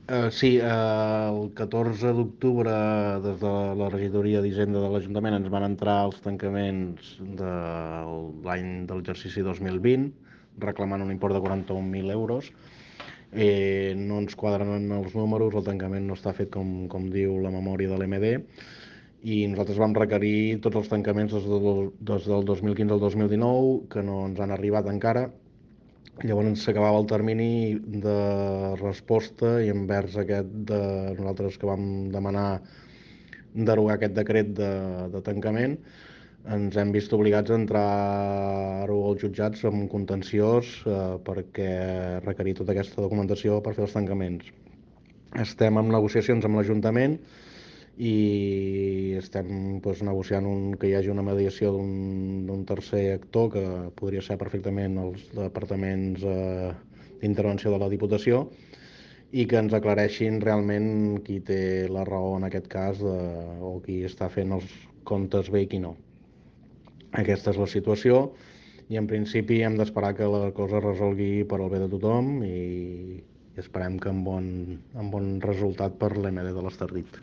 Sí, el 14 d'octubre des de la regidoria d'Hisenda de l'Ajuntament ens van entrar els tancaments de l'any de l'exercici 2020 reclamant un import de 41.000 euros. No ens quadren els números, el tancament no està fet com diu la memòria de l'MD i nosaltres vam requerir tots els tancaments des del 2015 al 2019 que no ens han arribat encara. Llavors s'acabava el termini de resposta i envers aquest de nosaltres que vam demanar derogar aquest decret de tancament ens hem vist obligats a entrar-ho als jutjats amb contenciós perquè requerir tota aquesta documentació per fer els tancaments. Estem en negociacions amb l'Ajuntament i estem negociant que hi hagi una mediació d'un tercer actor que podria ser perfectament els departaments d'intervenció de la Diputació i que ens aclareixin realment qui té la raó en aquest cas o qui està fent els comptes bé i qui no. Aquesta és la situació i en principi hem d'esperar que la cosa es resolgui per al bé de tothom i esperem que amb bon resultat per l'MD de l'Estartit.